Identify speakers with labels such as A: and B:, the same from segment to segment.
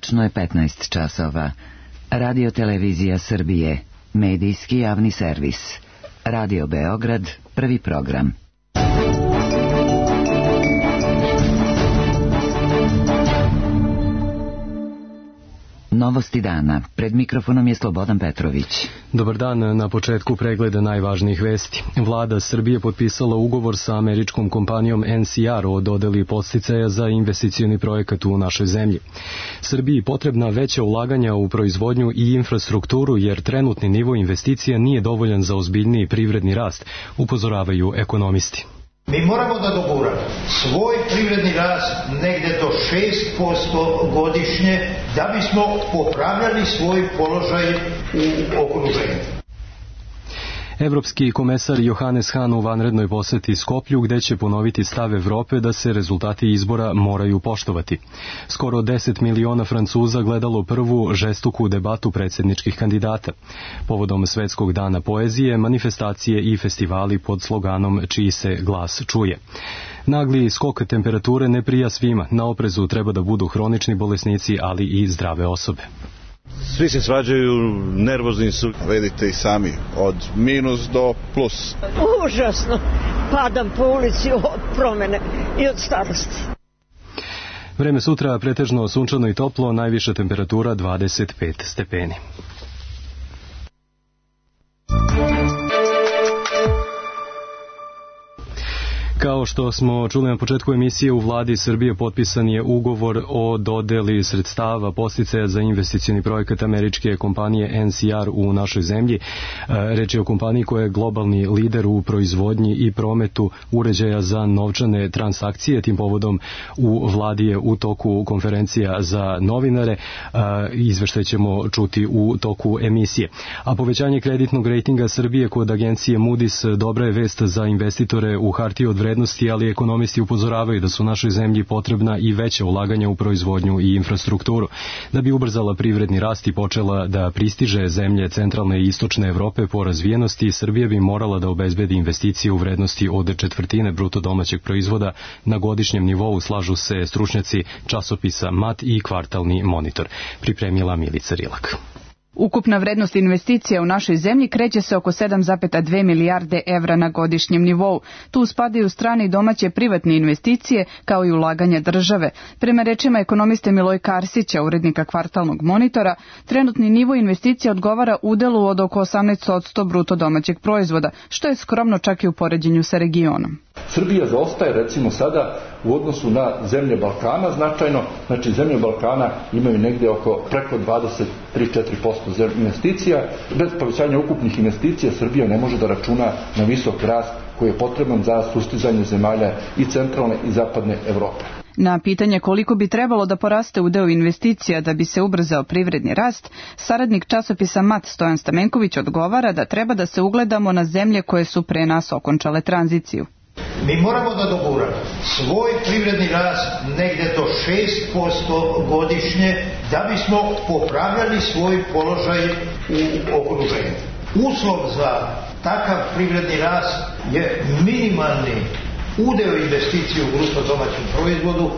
A: Tačno je 15 časova. Radio Televizija Srbije, medijski javni servis. Radio Beograd, prvi program. Novosti dana. Pred mikrofonom je Slobodan Petrović.
B: Dobar dan, na početku pregleda najvažnijih vesti. Vlada Srbije potpisala ugovor sa američkom kompanijom NCR o dodeli podsticaja za investicioni projekat u našoj zemlji. Srbiji potrebna veća ulaganja u proizvodnju i infrastrukturu jer trenutni nivo investicija nije dovoljan za ozbiljniji privredni rast, upozoravaju ekonomisti.
C: Mi moramo da doguramo svoj privredni rast negde do 6% godišnje da bismo popravljali svoj položaj u okruženju.
B: Evropski komesar Johannes Hahn u vanrednoj poseti Skoplju gde će ponoviti stav Evrope da se rezultati izbora moraju poštovati. Skoro 10 miliona Francuza gledalo prvu žestoku debatu predsjedničkih kandidata. Povodom Svetskog dana poezije, manifestacije i festivali pod sloganom Čiji se glas čuje. Nagli skok temperature ne prija svima. Na oprezu treba da budu hronični bolesnici, ali i zdrave osobe.
D: Svi se svađaju, nervozni su. Vidite i sami, od minus do plus.
E: Užasno. Padam po ulici od promene i od starosti.
B: Vreme sutra pretežno sunčano i toplo, najviša temperatura 25 stepeni. Kao što smo čuli na početku emisije, u vladi Srbije potpisan je ugovor o dodeli sredstava podsticaja za investicioni projekat američke kompanije NCR u našoj zemlji. Reč je o kompaniji koja je globalni lider u proizvodnji i prometu uređaja za novčane transakcije. Tim povodom u vladi je u toku konferencija za novinare. Izveštaj ćemo čuti u toku emisije. A povećanje kreditnog rejtinga Srbije kod agencije Moody's dobra je vest za investitore u hartije od vrednosti, ali ekonomisti upozoravaju da su našoj zemlji potrebna i veća ulaganja u proizvodnju i infrastrukturu. Da bi ubrzala privredni rast i počela da pristiže zemlje centralne i istočne Evrope po razvijenosti, Srbija bi morala da obezbedi investicije u vrednosti od 1/4 bruto domaćeg proizvoda na godišnjem nivou, slažu se stručnjaci časopisa MAT i Kvartalni monitor. Pripremila Milica Rilak.
F: Ukupna vrednost investicija u našoj zemlji kreće se oko 7,2 milijarde evra na godišnjem nivou. Tu spadaju strane i domaće privatne investicije, kao i ulaganja države. Prema rečima ekonomiste Miloja Karsića, urednika Kvartalnog monitora, trenutni nivo investicija odgovara udelu od oko 18% bruto domaćeg proizvoda, što je skromno čak i u poređenju sa regionom.
G: Srbija zaostaje recimo sada u odnosu na zemlje Balkana značajno, znači zemlje Balkana imaju negdje oko preko 23-4% investicija. Bez povećanja ukupnih investicija Srbija ne može da računa na visok rast koji je potreban za sustizanje zemalja i centralne i zapadne Evrope.
F: Na pitanje koliko bi trebalo da poraste udeo investicija da bi se ubrzao privredni rast, saradnik časopisa MAT Stojan Stamenković odgovara da treba da se ugledamo na zemlje koje su pre nas okončale tranziciju.
C: Mi moramo da doguramo svoj privredni rast negde do 6% godišnje da bismo popravljali svoj položaj u okruženju. Uslov za takav privredni rast je minimalni udeo investicije u bruto domaćem proizvodu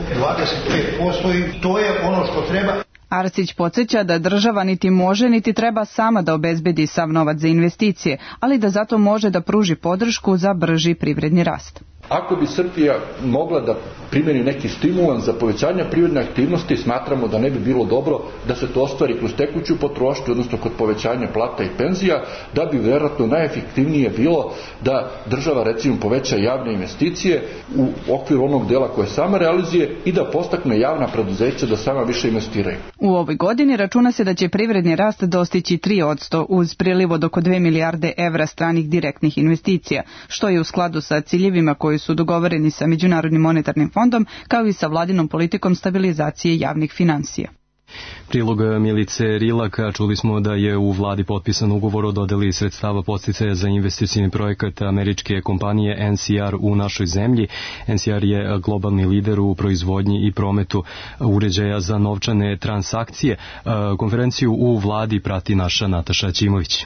C: 25% i to je ono što treba.
F: Arsić podsjeća da država niti može niti treba sama da obezbedi sav novac za investicije, ali da zato može da pruži podršku za brži privredni rast.
G: Ako bi Srbija mogla da primjeni neki stimulans za povećanje privredne aktivnosti, smatramo da ne bi bilo dobro da se to ostvari kroz tekuću potrošnju, odnosno kod povećanja plata i penzija, da bi vjerojatno najefektivnije bilo da država recimo poveća javne investicije u okviru onog dela koje sama realizuje i da podstakne javna preduzeća da sama više investiraju.
F: U ovoj godini računa se da će privredni rast dostići 3% uz priliv od oko 2 milijarde evra stranih direktnih investicija, što je u skladu sa ciljevima koji su dogovoreni sa Međunarodnim monetarnim fondom, kao i sa vladinom politikom stabilizacije javnih finansija.
B: Prilog Milice Rilaka, čuli smo da je u vladi potpisan ugovor o dodeli sredstava podsticaja za investicioni projekat američke kompanije NCR u našoj zemlji. NCR je globalni lider u proizvodnji i prometu uređaja za novčane transakcije. Konferenciju u vladi prati naša Nataša Ćimović.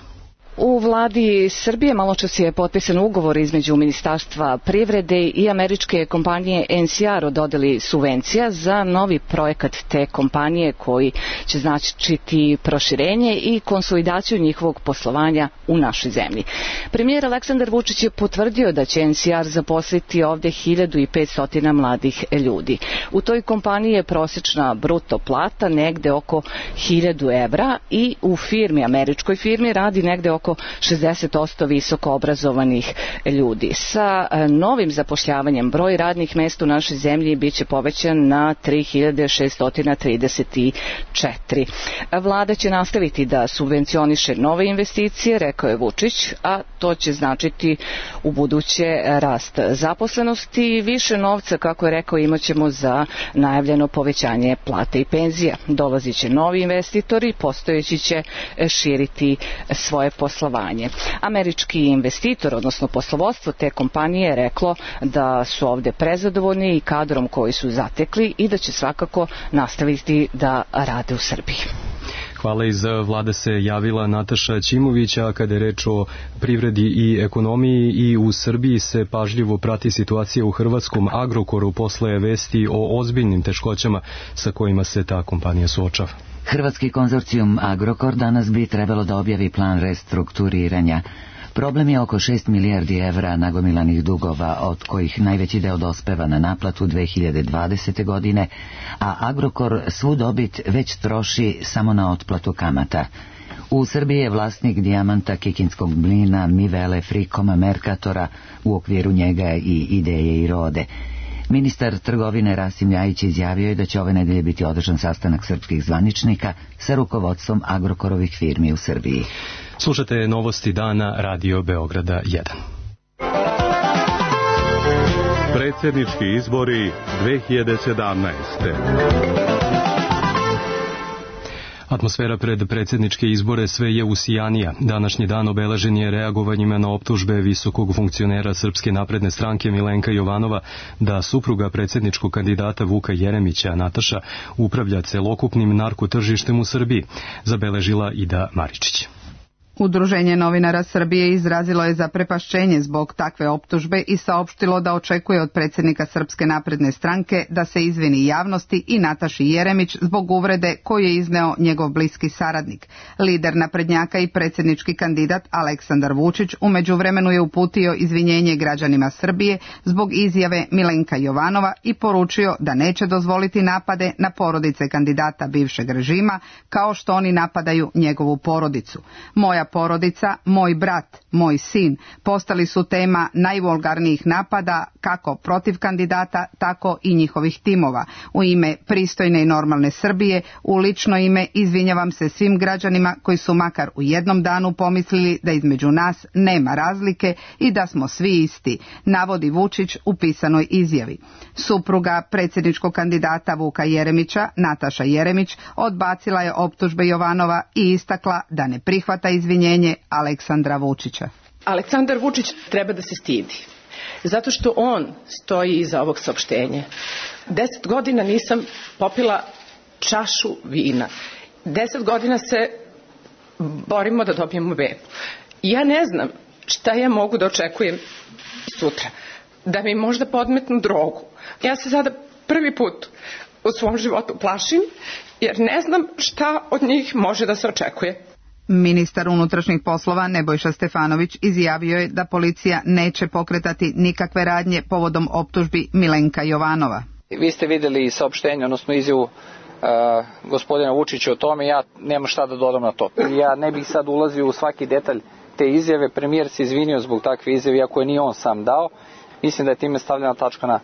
H: U vladi Srbije maločas je potpisan ugovor između Ministarstva privrede i američke kompanije NCR o dodeli subvencija za novi projekat te kompanije koji će značiti proširenje i konsolidaciju njihovog poslovanja u našoj zemlji. Premijer Aleksandar Vučić je potvrdio da će NCR zaposliti ovde 1500 mladih ljudi. U toj kompaniji je prosječna bruto plata negde oko 1000 evra i u američkoj firmi radi negde oko 60% visoko obrazovanih ljudi. Sa novim zapošljavanjem broj radnih mesta u našoj zemlji biće povećan na 3634. Vlada će nastaviti da subvencioniše nove investicije, rekao je Vučić, a to će značiti u buduće rast zaposlenosti i više novca, kako je rekao, imaćemo za najavljeno povećanje plata i penzija. Dolazit će novi investitori, postojeći će širiti svoje poslovanje. Američki investitor, odnosno poslovodstvo te kompanije, je reklo da su ovde prezadovoljni i kadrom koji su zatekli i da će svakako nastaviti da rade u Srbiji.
B: Hvala. Iz vlade se javila Nataša Ćimović, a kada je reč o privredi i ekonomiji, i u Srbiji se pažljivo prati situacija u hrvatskom Agrokoru posle vesti o ozbiljnim teškoćama sa kojima se ta kompanija suočava.
A: Hrvatski konzorcijum Agrokor danas bi trebalo da objavi plan restrukturiranja. Problem je oko 6 milijardi evra nagomilanih dugova, od kojih najveći deo dospeva na naplatu 2020. godine, a Agrokor svu dobit već troši samo na otplatu kamata. U Srbiji je vlasnik Dijamanta, Kikinskog mlina, Mivele, Frikoma, Merkatora, u okviru njega i Ideje i Rode. Ministar trgovine Rasim Ljajić izjavio je da će ove nedelje biti održan sastanak srpskih zvaničnika sa rukovodstvom Agrokorovih firmi u Srbiji.
B: Slušate novosti dana Radio Beograda 1.
I: Predsjednički izbori 2017.
B: Atmosfera pred predsjedničke izbore sve je usijanija. Današnji dan obeležen je reagovanjima na optužbe visokog funkcionera Srpske napredne stranke Milenka Jovanova da supruga predsjedničkog kandidata Vuka Jeremića, Nataša, upravlja celokupnim narkotržištem u Srbiji, zabeležila Ida Maričić.
F: Udruženje novinara Srbije izrazilo je zaprepašćenje zbog takve optužbe i saopštilo da očekuje od predsjednika Srpske napredne stranke da se izvini javnosti i Nataši Jeremić zbog uvrede koju je izneo njegov bliski saradnik. Lider naprednjaka i predsjednički kandidat Aleksandar Vučić u međuvremenu je uputio izvinjenje građanima Srbije zbog izjave Milenka Jovanova i poručio da neće dozvoliti napade na porodice kandidata bivšeg režima kao što oni napadaju njegovu porodicu. Moja porodica, moj brat, moj sin postali su tema najvulgarnijih napada kako protiv kandidata, tako i njihovih timova. U ime pristojne i normalne Srbije, u lično ime izvinjavam se svim građanima koji su makar u jednom danu pomislili da između nas nema razlike i da smo svi isti, navodi Vučić u pisanoj izjavi. Supruga predsjedničkog kandidata Vuka Jeremića, Nataša Jeremić, odbacila je optužbe Jovanova i istakla da ne prihvata izvinjenje Aleksandra Vučića.
J: Aleksandar Vučić treba da se stidi, zato što on stoji iza ovog saopštenja. 10 godina nisam popila čašu vina. 10 godina se borimo da dobijemo bebu. Ja ne znam šta ja mogu da očekujem sutra. Da mi možda podmetnu drogu. Ja se sada prvi put u svom životu plašim, jer ne znam šta od njih može da se očekuje.
F: Ministar unutrašnjih poslova Nebojša Stefanović izjavio je da policija neće pokretati nikakve radnje povodom optužbi Milenka Jovanova.
K: Vi ste vidjeli saopštenje, odnosno izjavu gospodina Vučića o tome, ja nemam šta da dodam na to. Ja ne bih sad ulazio u svaki detalj te izjave, premijer se izvinio zbog takve izjave, iako je nije on sam dao. Mislim da je time stavljena tačka na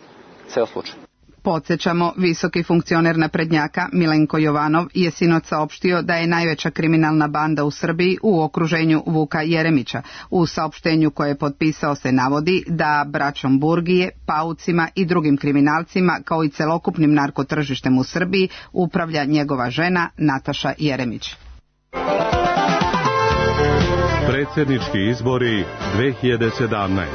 K: ceo slučaj.
F: Podsjećamo, visoki funkcioner naprednjaka Milenko Jovanov je sinoć saopštio da je najveća kriminalna banda u Srbiji u okruženju Vuka Jeremića. U saopštenju koje je potpisao se navodi da braćom Burgije, paucima i drugim kriminalcima kao i celokupnim narkotržištem u Srbiji upravlja njegova žena Nataša Jeremić.
I: Predsjednički izbori 2017.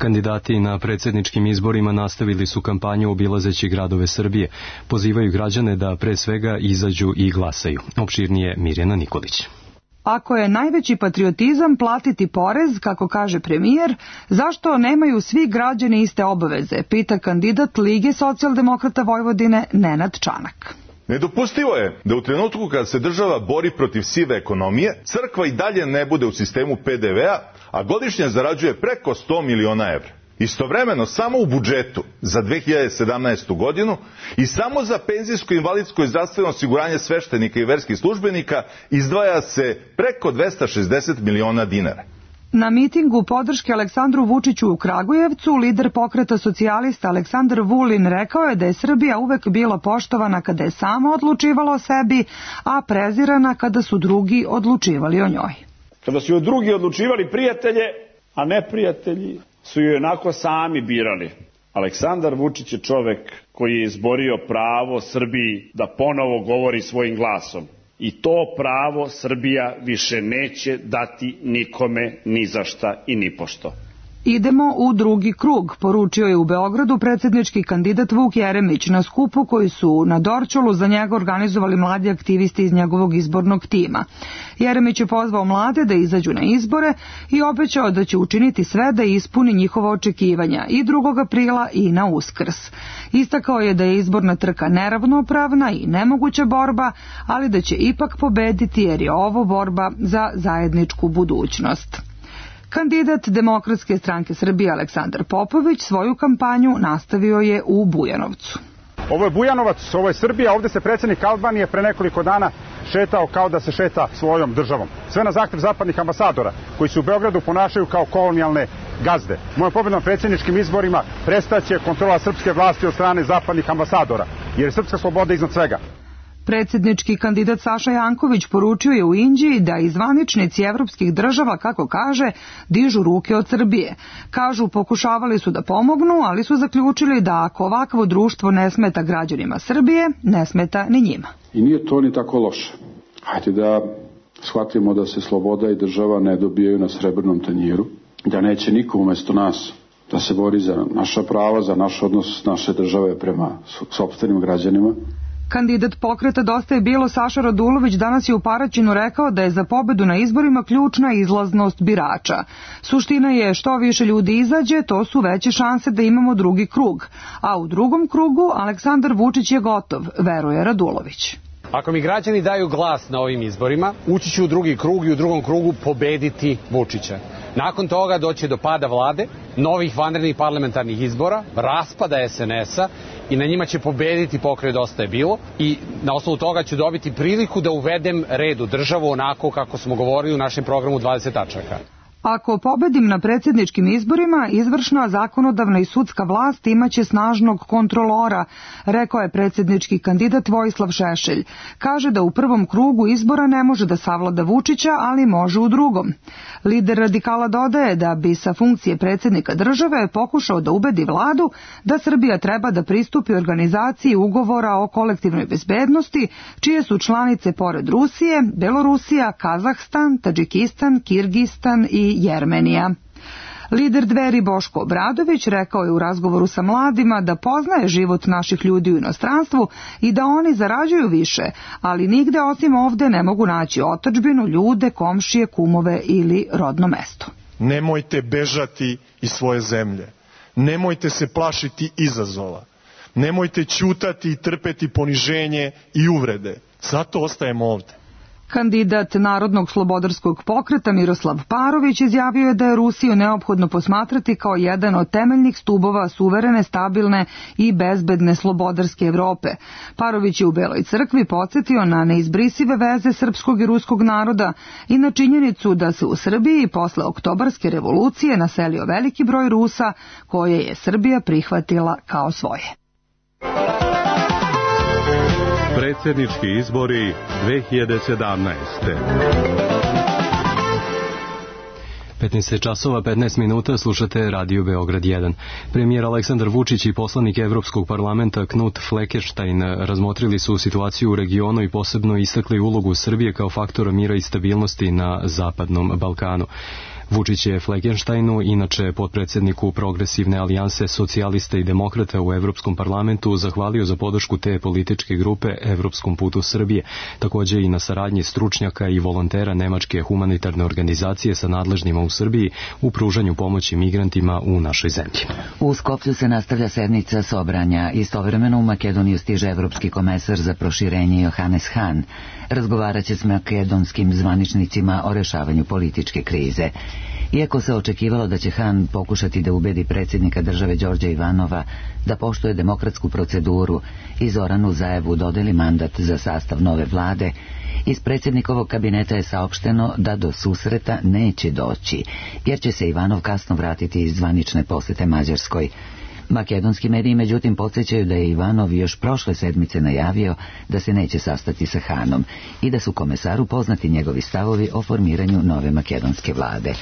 B: Kandidati na predsjedničkim izborima nastavili su kampanju obilazeći gradove Srbije. Pozivaju građane da pre svega izađu i glasaju. Opširnije Mirjana Nikolić.
L: Ako je najveći patriotizam platiti porez, kako kaže premijer, zašto nemaju svi građani iste obaveze, pita kandidat Lige socijaldemokrata Vojvodine Nenad Čanak.
M: Nedopustivo je da u trenutku kada se država bori protiv sive ekonomije, crkva i dalje ne bude u sistemu PDV-a, a godišnje zarađuje preko 100 miliona evra. Istovremeno, samo u budžetu za 2017. godinu i samo za penzijsko, invalidsko i zdravstveno osiguranje sveštenika i verskih službenika izdvaja se preko 260 miliona dinara.
L: Na mitingu podrške Aleksandru Vučiću u Kragujevcu, lider pokreta socijalista Aleksandar Vulin rekao je da je Srbija uvek bila poštovana kada je sama odlučivala o sebi, a prezirana kada su drugi odlučivali o njoj.
N: Kada su joj drugi odlučivali prijatelje, a neprijatelji su joj onako sami birali. Aleksandar Vučić je čovek koji je izborio pravo Srbiji da ponovo govori svojim glasom. I to pravo Srbija više neće dati nikome, ni za šta i ni pošto.
L: Idemo u drugi krug, poručio je u Beogradu predsjednički kandidat Vuk Jeremić na skupu koji su na Dorćolu za njega organizovali mladi aktivisti iz njegovog izbornog tima. Jeremić je pozvao mlade da izađu na izbore i obećao da će učiniti sve da ispuni njihova očekivanja i 2. aprila i na Uskrs. Istakao je da je izborna trka neravnopravna i nemoguća borba, ali da će ipak pobediti jer je ovo borba za zajedničku budućnost. Kandidat Demokratske stranke Srbije Aleksandar Popović svoju kampanju nastavio je u Bujanovcu.
O: Ovo je Bujanovac, ovo je Srbija, ovdje se predsjednik Albanije pre nekoliko dana šetao kao da se šeta svojom državom. Sve na zahtev zapadnih ambasadora koji se u Beogradu ponašaju kao kolonijalne gazde. Mojom pobedom predsjedničkim izborima prestaće kontrola srpske vlasti od strane zapadnih ambasadora, jer je srpska sloboda iznad svega.
L: Predsjednički kandidat Saša Janković poručio je u Inđiji da i zvaničnici evropskih država, kako kaže, dižu ruke od Srbije. Kažu, pokušavali su da pomognu, ali su zaključili da ako ovakvo društvo ne smeta građanima Srbije, ne smeta ni njima.
P: I nije to ni tako loše. Hajde da shvatimo da se sloboda i država ne dobijaju na srebrnom tanjiru, da neće niko umjesto nas da se bori za naša prava, za naš odnos naše države prema sopstvenim građanima.
L: Kandidat pokreta Dosta je bilo Saša Radulović danas je u Paraćinu rekao da je za pobedu na izborima ključna izlaznost birača. Suština je što više ljudi izađe, to su veće šanse da imamo drugi krug. A u drugom krugu Aleksandar Vučić je gotov, veruje Radulović.
Q: Ako mi građani daju glas na ovim izborima, ući ću u drugi krug i u drugom krugu pobediti Vučića. Nakon toga doći do pada vlade, novih vanrednih parlamentarnih izbora, raspada SNS-a i na njima će pobediti pokret Dosta je bilo i na osnovu toga ću dobiti priliku da uvedem red u državu onako kako smo govorili u našem programu 20 tačaka.
L: Ako pobedim na predsjedničkim izborima, izvršna, zakonodavna i sudska vlast imaće snažnog kontrolora, rekao je predsjednički kandidat Vojislav Šešelj. Kaže da u prvom krugu izbora ne može da savlada Vučića, ali može u drugom. Lider radikala dodaje da bi sa funkcije predsjednika države pokušao da ubedi vladu da Srbija treba da pristupi organizaciji ugovora o kolektivnoj bezbednosti, čije su članice pored Rusije, Belorusija, Kazahstan, Tadžikistan, Kirgistan i Jermenija. Lider Dveri Boško Obradović rekao je u razgovoru sa mladima da poznaje život naših ljudi u inostranstvu i da oni zarađuju više, ali nigde osim ovde ne mogu naći otadžbinu, ljude, komšije, kumove ili rodno mesto.
R: Nemojte bežati iz svoje zemlje. Nemojte se plašiti izazova. Nemojte ćutati i trpeti poniženje i uvrede. Zato ostajemo ovde.
L: Kandidat Narodnog slobodarskog pokreta Miroslav Parović izjavio je da je Rusiju neophodno posmatrati kao jedan od temeljnih stubova suverene, stabilne i bezbedne slobodarske Evrope. Parović je u Beloj crkvi podsjetio na neizbrisive veze srpskog i ruskog naroda i na činjenicu da se u Srbiji posle Oktobarske revolucije naselio veliki broj Rusa koje je Srbija prihvatila kao svoje.
I: Predsjednički izbori 2017.
B: 15 časova 15 minuta, slušate Radio Beograd 1. Premijer Aleksandar Vučić i poslanik Evropskog parlamenta Knut Fleckenstein razmotrili su situaciju u regionu i posebno istakli ulogu Srbije kao faktora mira i stabilnosti na Zapadnom Balkanu. Vučić je Fleckensteinu, inače potpredsjedniku Progresivne alijanse socijalista i demokrata u Evropskom parlamentu, zahvalio za podršku te političke grupe Evropskom putu Srbije, također i na saradnji stručnjaka i volontera Nemačke humanitarne organizacije sa nadležnima u Srbiji u pružanju pomoći migrantima u našoj zemlji.
A: U Skoplju se nastavlja sednica Sobranja. Istovremeno u Makedoniju stiže evropski komesar za proširenje Johannes Hahn. Razgovarat će s makedonskim zvaničnicima o rešavanju političke krize. Iako se očekivalo da će Hahn pokušati da ubedi predsjednika države Đorđa Ivanova da poštuje demokratsku proceduru i Zoranu Zaevu dodeli mandat za sastav nove vlade, iz predsjednikovog kabineta je saopšteno da do susreta neće doći, jer će se Ivanov kasno vratiti iz zvanične posjete Mađarskoj. Makedonski mediji međutim podsjećaju da je Ivanov još prošle sedmice najavio da se neće sastati sa Hahnom i da su komesaru poznati njegovi stavovi o formiranju nove makedonske vlade.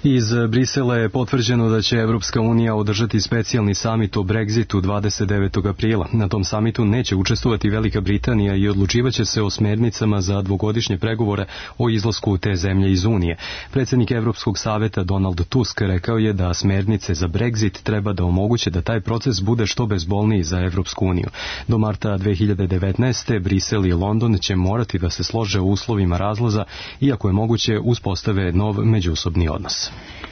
B: Iz Brisela je potvrđeno da će Evropska unija održati specijalni samit o Brexitu 29. aprila. Na tom samitu neće učestvovati Velika Britanija i odlučivaće se o smernicama za dvogodišnje pregovore o izlasku te zemlje iz Unije. Predsjednik Evropskog saveta Donald Tusk rekao je da smernice za Brexit treba da omoguće da taj proces bude što bezbolniji za Evropsku uniju. Do marta 2019. Brisel i London će morati da se slože u uslovima razlaza, iako je moguće uspostave nov međusobni odnos.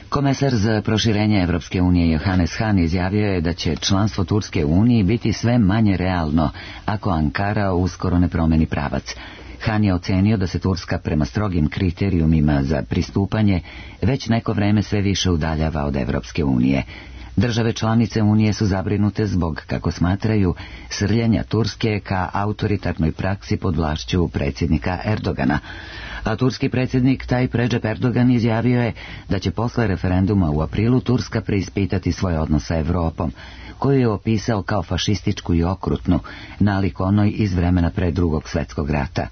A: Komesar za proširenje Evropske unije Johannes Hahn izjavio je da će članstvo Turske u Uniji biti sve manje realno ako Ankara uskoro ne promeni pravac. Hahn je ocenio da se Turska prema strogim kriterijumima za pristupanje već neko vreme sve više udaljava od Evropske unije. Države članice Unije su zabrinute zbog, kako smatraju, srljenja Turske ka autoritarnoj praksi pod vlašću predsjednika Erdogana. A turski predsjednik Tayyip Recep Erdogan izjavio je da će posle referenduma u aprilu Turska preispitati svoj odnos sa Evropom, koju je opisao kao fašističku i okrutnu, nalik onoj iz vremena pre Drugog svjetskog rata.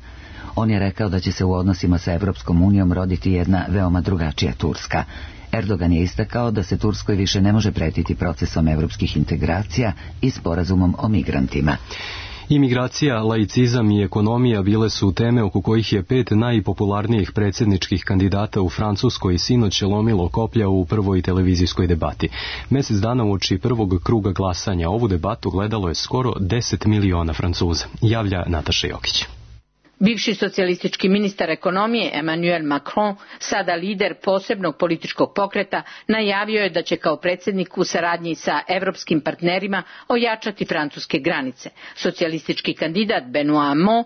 A: On je rekao da će se u odnosima sa Evropskom unijom roditi jedna veoma drugačija Turska. Erdogan je istakao da se Turskoj više ne može pretiti procesom evropskih integracija i sporazumom o migrantima.
B: Imigracija, laicizam i ekonomija bile su teme oko kojih je 5 najpopularnijih predsjedničkih kandidata u Francuskoj sinoć lomilo koplja u prvoj televizijskoj debati. Mjesec dana uoči prvog kruga glasanja ovu debatu gledalo je skoro 10 miliona Francuza, javlja Nataša Jokić.
S: Bivši socijalistički ministar ekonomije Emmanuel Macron, sada lider posebnog političkog pokreta, najavio je da će kao predsjednik u saradnji sa evropskim partnerima ojačati francuske granice. Socijalistički kandidat Benoît Hamon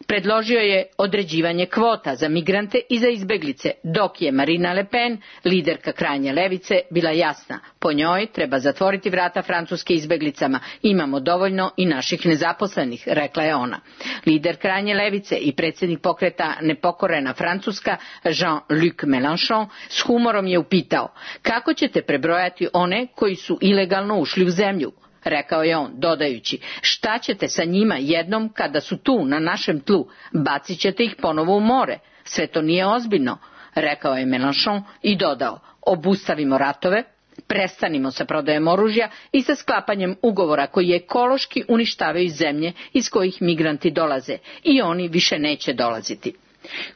S: predložio je određivanje kvota za migrante i za izbeglice, dok je Marine Le Pen, liderka krajnje levice, bila jasna. Po njoj treba zatvoriti vrata francuske izbeglicama. Imamo dovoljno i naših nezaposlenih, rekla je ona. Lider krajnje levice i predsjednik pokreta Nepokorena Francuska, Jean-Luc Mélenchon, s humorom je upitao: kako ćete prebrojati one koji su ilegalno ušli u zemlju? Rekao je on, dodajući: šta ćete sa njima jednom kada su tu, na našem tlu? Bacit ćete ih ponovo u more. Sve to nije ozbiljno, rekao je Mélenchon i dodao: obustavimo ratove, prestanimo sa prodajom oružja i sa sklapanjem ugovora koji ekološki uništavaju zemlje iz kojih migranti dolaze, i oni više neće dolaziti.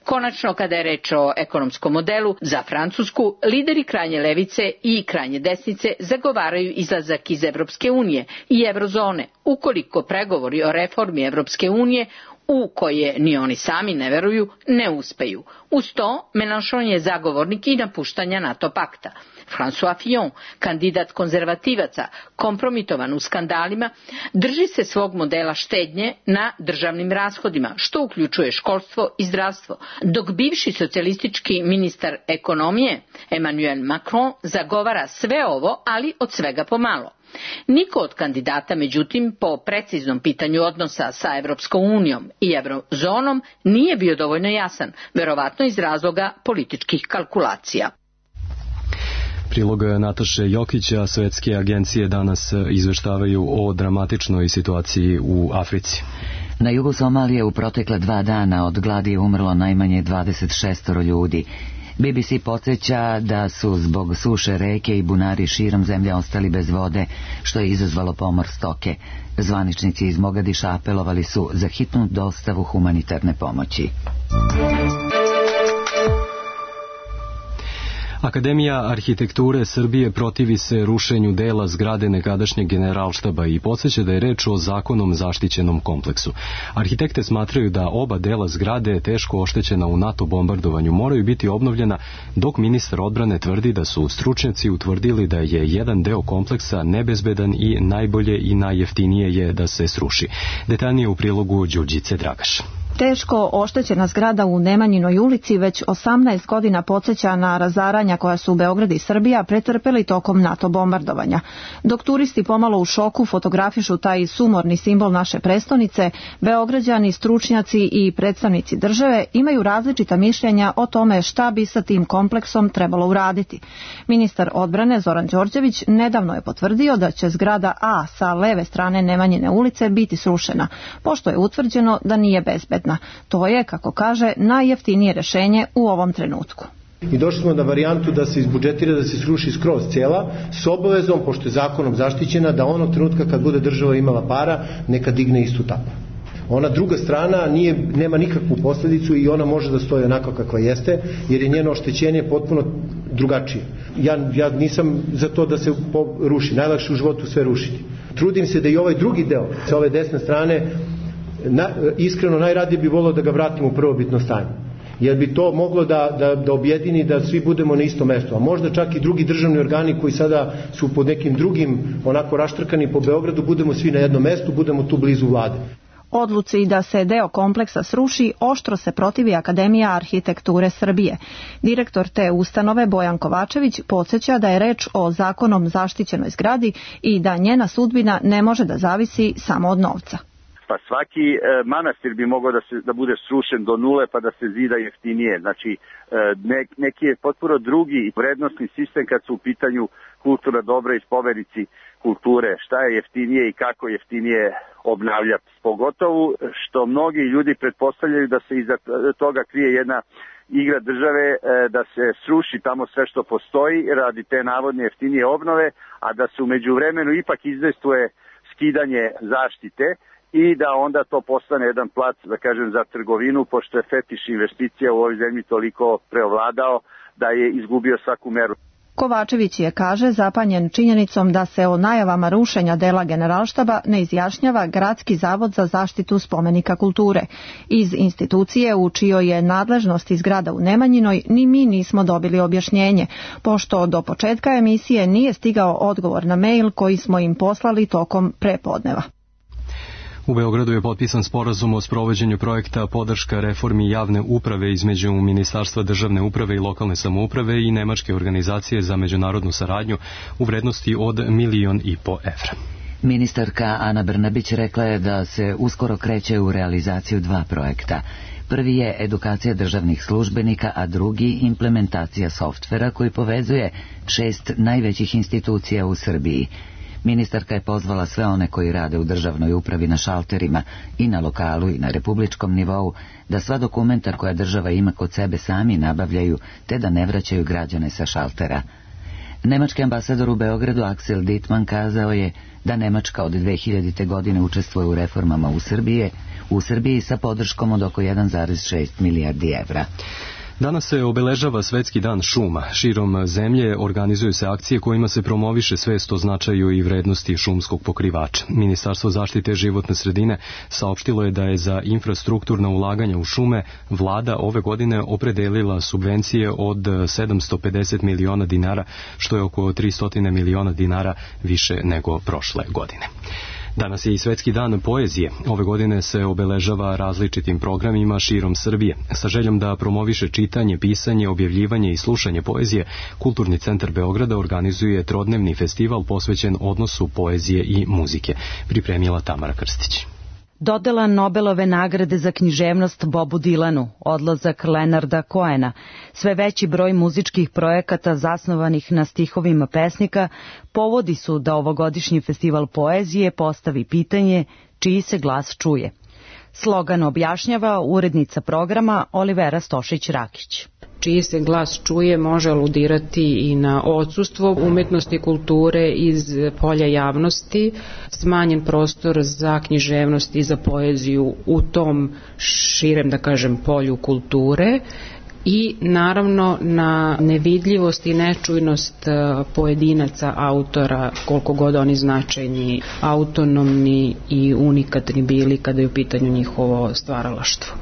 S: Konačno, kada je reč o ekonomskom modelu za Francusku, lideri krajnje levice i krajnje desnice zagovaraju izlazak iz Evropske unije i eurozone, ukoliko pregovori o reformi Evropske unije, u koje ni oni sami ne veruju, ne uspeju. Uz to, Mélenchon je zagovornik i napuštanja NATO pakta. François Fillon, kandidat konzervativaca, kompromitovan u skandalima, drži se svog modela štednje na državnim rashodima, što uključuje školstvo i zdravstvo, dok bivši socijalistički ministar ekonomije Emmanuel Macron zagovara sve ovo, ali od svega pomalo. Niko od kandidata, međutim, po preciznom pitanju odnosa sa Evropskom unijom i eurozonom nije bio dovoljno jasan, verovatno iz razloga političkih kalkulacija.
B: Prilog Nataše Jokića. Svetske agencije danas izveštavaju o dramatičnoj situaciji u Africi.
A: Na jugu Somalije u protekla 2 dana od gladi je umrlo najmanje 26 ljudi. BBC podsjeća da su zbog suše reke i bunari širom zemlje ostali bez vode, što je izazvalo pomor stoke. Zvaničnici iz Mogadiša apelovali su za hitnu dostavu humanitarne pomoći.
B: Akademija arhitekture Srbije protivi se rušenju dela zgrade nekadašnjeg Generalštaba i podsjeća da je reč o zakonom zaštićenom kompleksu. Arhitekte smatraju da oba dela zgrade teško oštećena u NATO bombardovanju moraju biti obnovljena, dok ministar odbrane tvrdi da su stručnjaci utvrdili da je jedan deo kompleksa nebezbedan i najbolje i najjeftinije je da se sruši. Detaljnije u prilogu Đurđice Dragaš.
T: Teško oštećena zgrada u Nemanjinoj ulici već 18 godina podsjeća na razaranja koja su Beograd i Srbija pretrpeli tokom NATO bombardovanja. Dok turisti pomalo u šoku fotografišu taj sumorni simbol naše prestonice, Beograđani, stručnjaci i predstavnici države imaju različita mišljenja o tome šta bi sa tim kompleksom trebalo uraditi. Ministar odbrane Zoran Đorđević nedavno je potvrdio da će zgrada A sa leve strane Nemanjine ulice biti srušena, pošto je utvrđeno da nije bezbedna. To je, kako kaže, najjeftinije rešenje u ovom trenutku.
U: I došli smo na varijantu da se izbudžetira da se sruši skroz cela, s obavezom, pošto je zakonom zaštićena, da onog trenutka kad bude država imala para, neka digne istu tako. Ona druga strana nema nikakvu posledicu i ona može da stoji onako kakva jeste, jer je njeno oštećenje potpuno drugačije. Ja nisam za to da se ruši, najlakše u životu sve rušiti. Trudim se da i ovaj drugi deo, sa ove desne strane, iskreno najradije bi volio da ga vratimo u prvobitno stanje, jer bi to moglo da objedini da svi budemo na istom mestu, a možda čak i drugi državni organi koji sada su pod nekim drugim onako raštrkani po Beogradu, budemo svi na jednom mestu, budemo tu blizu vlade.
T: Odluci da se deo kompleksa sruši oštro se protivi Akademija arhitekture Srbije. Direktor te ustanove Bojan Kovačević podsjeća da je reč o zakonom zaštićenoj zgradi i da njena sudbina ne može da zavisi samo od novca.
V: Pa svaki manastir bi mogao da bude srušen do nule pa da se zida jeftinije. Znači neki je potpuno drugi vrednostni sistem kad su u pitanju kulturna dobra i spomenici kulture. Šta je jeftinije i kako jeftinije obnavljati. Pogotovo što mnogi ljudi pretpostavljaju da se iza toga krije jedna igra države, da se sruši tamo sve što postoji radi te navodne jeftinije obnove, a da se u međuvremenu ipak izdejstvuje skidanje zaštite i da onda to postane jedan plac, da kažem, za trgovinu, pošto je fetiš investicija u ovoj zemlji toliko preovladao da je izgubio svaku meru.
T: Kovačević je, kaže, zapanjen činjenicom da se o najavama rušenja dela Generalštaba ne izjašnjava Gradski zavod za zaštitu spomenika kulture. Iz institucije u čijoj je nadležnosti zgrada u Nemanjinoj ni mi nismo dobili objašnjenje, pošto do početka emisije nije stigao odgovor na mail koji smo im poslali tokom prepodneva.
B: U Beogradu je potpisan sporazum o sprovođenju projekta podrška reformi javne uprave između Ministarstva državne uprave i lokalne samouprave i Nemačke organizacije za međunarodnu saradnju u vrednosti od 1,5 miliona evra.
A: Ministarka Ana Brnabić rekla je da se uskoro kreće u realizaciju 2 projekta. Prvi je edukacija državnih službenika, a drugi implementacija softvera koji povezuje 6 najvećih institucija u Srbiji. Ministarka je pozvala sve one koji rade u državnoj upravi na šalterima i na lokalu i na republičkom nivou da sva dokumenta koja država ima kod sebe sami nabavljaju te da ne vraćaju građane sa šaltera. Nemački ambasador u Beogradu Axel Dittmann kazao je da Nemačka od 2000. godine učestvuje u reformama u Srbiji sa podrškom od oko 1,6 milijardi evra.
B: Danas se obeležava Svetski dan šuma. Širom zemlje organizuju se akcije kojima se promoviše svest o značaju i vrednosti šumskog pokrivača. Ministarstvo zaštite životne sredine saopštilo je da je za infrastrukturna ulaganja u šume vlada ove godine opredelila subvencije od 750 miliona dinara, što je oko 300 miliona dinara više nego prošle godine. Danas je i Svetski dan poezije. Ove godine se obeležava različitim programima širom Srbije. Sa željom da promoviše čitanje, pisanje, objavljivanje i slušanje poezije, Kulturni centar Beograda organizuje trodnevni festival posvećen odnosu poezije i muzike. Pripremila Tamara Krstić.
W: Dodela Nobelove nagrade za književnost Bobu Dilanu, odlazak Leonarda Cohena, sve veći broj muzičkih projekata zasnovanih na stihovima pesnika povodi su da ovogodišnji festival poezije postavi pitanje čiji se glas čuje. Slogan objašnjava urednica programa Olivera Stošić-Rakić.
X: Čiji se glas čuje može aludirati i na odsustvo umetnosti i kulture iz polja javnosti, smanjen prostor za književnost i za poeziju u tom širem, da kažem, polju kulture i naravno na nevidljivost i nečujnost pojedinaca, autora, koliko god oni značajni, autonomni i unikatni bili kada je u pitanju njihovo stvaralaštvo.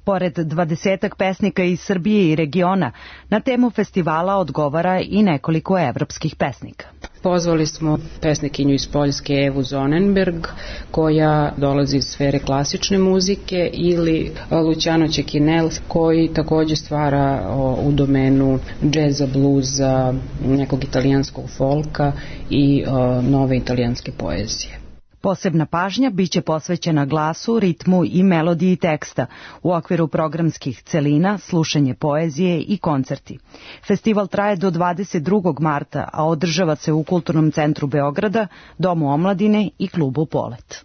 W: Pored 20 pesnika iz Srbije i regiona, na temu festivala odgovara i nekoliko evropskih pesnika.
X: Pozvali smo pesnikinju iz Poljske Evu Zonenberg, koja dolazi iz sfere klasične muzike, ili Luciano Cecchinel, koji takođe stvara u domenu džeza, bluza, nekog italijanskog folka i nove italijanske poezije.
W: Posebna pažnja biće posvećena glasu, ritmu i melodiji teksta u okviru programskih celina, slušanje poezije i koncerti. Festival traje do 22. marta, a održava se u Kulturnom centru Beograda, Domu omladine i klubu Polet.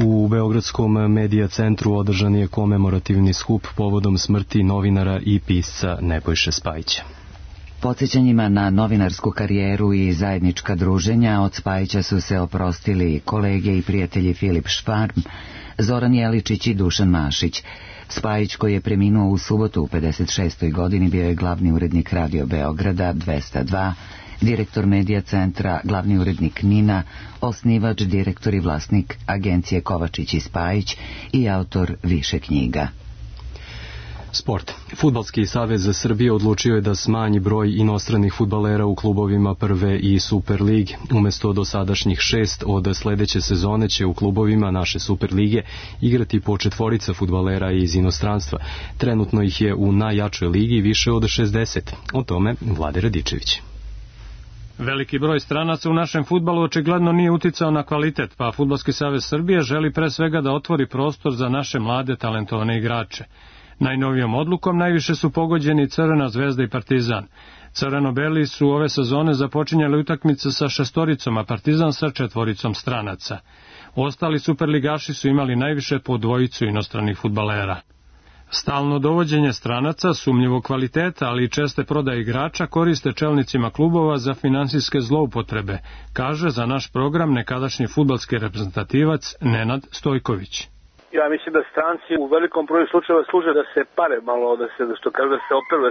B: U Beogradskom medija centru održan je komemorativni skup povodom smrti novinara i pisca Nebojše Spajića.
A: Podsjećanjima na novinarsku karijeru i zajednička druženja od Spajića su se oprostili kolege i prijatelji Filip Švarm, Zoran Jeličić i Dušan Mašić. Spajić, koji je preminuo u subotu u 56. godini, bio je glavni urednik Radio Beograda 202, direktor medija centra, glavni urednik NIN-a, osnivač, direktor i vlasnik agencije Kovačić i Spajić i autor više knjiga.
B: Sport. Fudbalski savez Srbije odlučio je da smanji broj inostranih fudbalera u klubovima prve i Super lige. Umesto dosadašnjih 6, od sledeće sezone će u klubovima naše Super lige igrati po 4 fudbalera iz inostranstva. Trenutno ih je u najjačoj ligi više od 60. O tome Vlade Radičević.
C: Veliki broj stranaca u našem fudbalu očigledno nije uticao na kvalitet, pa Fudbalski savez Srbije želi pre svega da otvori prostor za naše mlade talentovane igrače. Najnovijom odlukom najviše su pogođeni Crvena zvezda i Partizan. Crveno-beli su ove sezone započinjali utakmice sa 6, a Partizan sa 4 stranaca. Ostali superligaši su imali najviše po 2 inostranih fudbalera. Stalno dovođenje stranaca, sumnjivog kvaliteta, ali i česte prodaje igrača koriste čelnicima klubova za finansijske zloupotrebe, kaže za naš program nekadašnji fudbalski reprezentativac Nenad Stojković.
D: Ja mislim da stranci u velikom broju slučajeva služe da se pare malo, da se operu,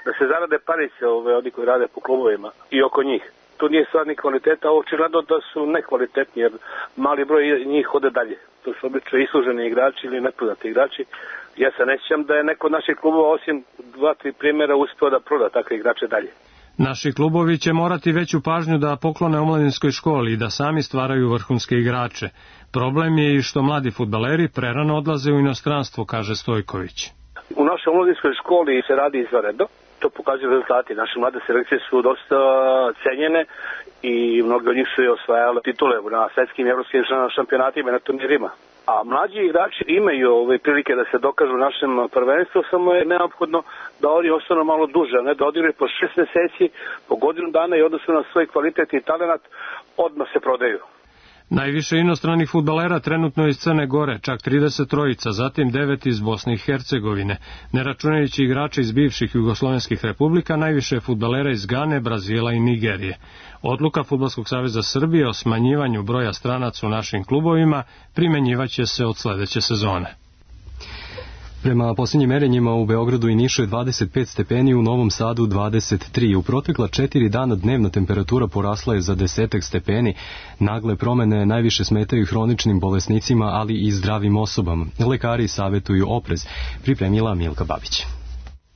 D: da se zarade parice oni koji rade po klubovima i oko njih. Tu nije stvar ni kvaliteta, ovo očigledno da su nekvalitetni, jer mali broj njih ode dalje. To su obično isluženi igrači ili nepoznati igrači. Ja se ne sjećam da je neko od naših klubova, osim 2-3 primjera, uspeo da proda takve igrače dalje.
C: Naši klubovi će morati veću pažnju da poklone omladinskoj školi i da sami stvaraju vrhunske igrače. Problem je i što mladi fudbaleri prerano odlaze u inostranstvo, kaže Stojković.
D: U našoj omladinskoj školi se radi izvanredno, to pokazuju rezultati. Naše mlade selekcije su dosta cenjene i mnogi od njih su osvajali titule na svetskim i evropskim šampionatima i na turnirima. A mlađi igrači imaju prilike da se dokažu u našem prvenstvu, samo je neophodno da oni ostanu malo duže, ne da odigraju po 6 meseci, po godinu dana i odnosu na svoj kvalitet i talenat odmah se prodaju.
C: Najviše inostranih fudbalera trenutno iz Crne Gore, čak 33, zatim 9 iz Bosne i Hercegovine. Ne računajući igrače iz bivših jugoslovenskih republika, najviše fudbalera iz Gane, Brazila i Nigerije. Odluka Fudbalskog saveza Srbije o smanjivanju broja stranaca u našim klubovima primenjivaće se od sledeće sezone.
B: Prema posljednjim merenjima u Beogradu i Nišu je 25 stepeni, u Novom Sadu 23. U protekla 4 dana dnevna temperatura porasla je za 10 stepeni. Nagle promene najviše smetaju hroničnim bolesnicima, ali i zdravim osobama. Lekari savjetuju oprez, pripremila Milka Babić.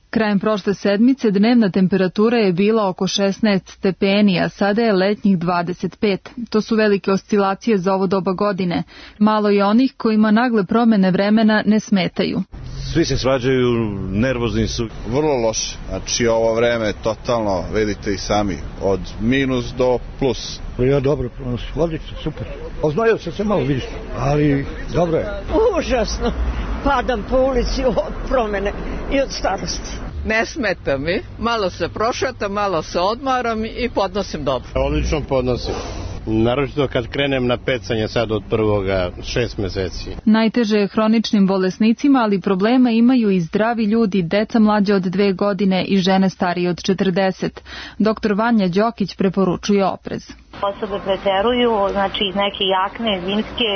F: Krajem prošle sedmice dnevna temperatura je bila oko 16 stepeni, a sada je letnjih 25. To su velike oscilacije za ovo doba godine. Malo je onih kojima nagle promene vremena ne smetaju.
E: Svi se svađaju, nervozni su. Vrlo loše. Znači ovo vreme je totalno, vidite i sami, od minus do plus.
G: Ja dobro pronosim, odlično, super. Oznojio sam se malo, vidiš, ali dobro je.
Y: Užasno. Padam po ulici od promene i od starosti. Ne smeta mi, malo se prošetam, malo se odmaram i podnosim dobro.
E: Odlično podnosim. Naročito kad krenem na pecanje sad od prvoga 6 meseci.
F: Najteže je hroničnim bolesnicima, ali problema imaju i zdravi ljudi, deca mlađe od 2 godine i žene starije od 40. Doktor Vanja Đokić preporučuje oprez.
H: osobe preteruju, znači neke jakne, zimske,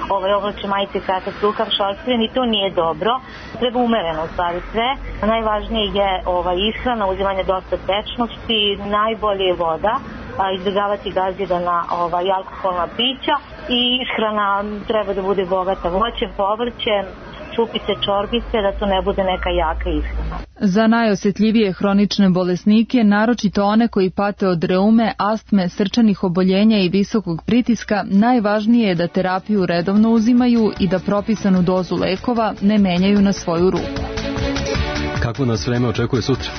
H: oblače majice, kratak rukav, šorstven i to nije dobro. Treba umereno u stvari sve. Najvažnije je ishrana, uzimanje dosta tečnosti, najbolje je voda, izbjegavati gazirana alkoholna pića i ishrana treba da bude bogata voćem, povrćem, čupice, čorbice, da to ne bude neka jaka ishrana.
F: Za najosetljivije hronične bolesnike, naročito one koji pate od reume, astme, srčanih oboljenja i visokog pritiska, najvažnije je da terapiju redovno uzimaju i da propisanu dozu lekova ne menjaju na svoju ruku.
B: Kako nas vreme očekuje sutra?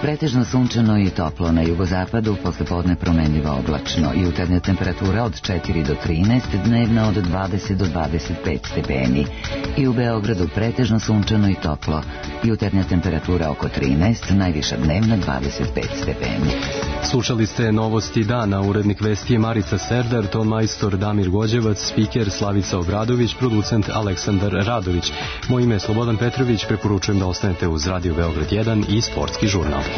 A: Pretežno sunčano i toplo na jugozapadu, poslepodne promenljivo oblačno, jutarnja temperatura od 4 do 13, dnevna od 20 do 25 stepeni. I u Beogradu pretežno sunčano i toplo, jutarnja temperatura oko 13, najviša dnevna 25 stepeni.
B: Slušali ste Novosti dana, urednik vesti je Marica Serdar, ton majstor Damir Gođevac, spiker Slavica Obradović, producent Aleksandar Radović. Moje ime je Slobodan Petrović, preporučujem da ostanete uz Radio Beograd 1 i Sportski žurnal.